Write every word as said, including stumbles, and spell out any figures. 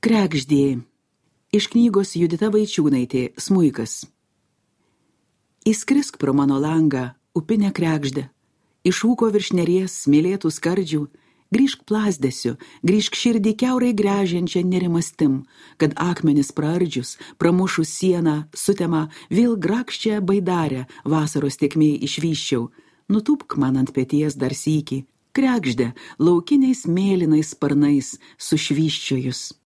Kregždė. Iš knygos Judita Vaičiūnaitė, Smuikas. Įskrisk pro mano langą, upinę kregždę, iš ūko virš neries smėlėtų skardžių, grįžk plazdesiu, grįžk širdį kiaurai gręžiančią nerimastim, kad akmenis praardžius, pramušus sieną, sutemą, vėl grakščią baidarę vasaros tėkmėj išvyščiau, nutūpk man ant peties dar sykį, kregždę laukiniais mėlynais sparnais sušvyščiojus.